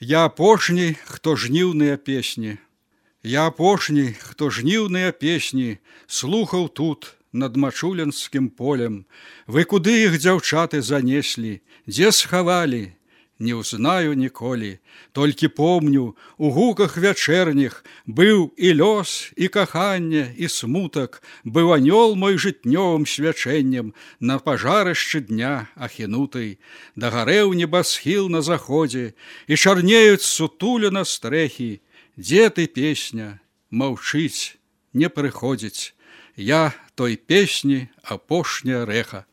Я апошні, хто жніўныя песні. Я апошні, хто жніўныя песні слухаў тут, над Мачулінскім полем. Вы куды іх, дзяўчаты, занеслі? Дзе схавалі? Не ўзнаю ніколі. Толькі помню, у гуках вячэрніх быў і лёс, і каханне, і смутак, быў анёл мой жытнёвым свячэннем на пажарышчы дня ахінутай. Дагарэў небасхіл на заходзе, і чарнеюць сутулена стрэхі. Дзе ты, песня? Маўчыць, не прыходзіць. Я той песні апошняя рэха.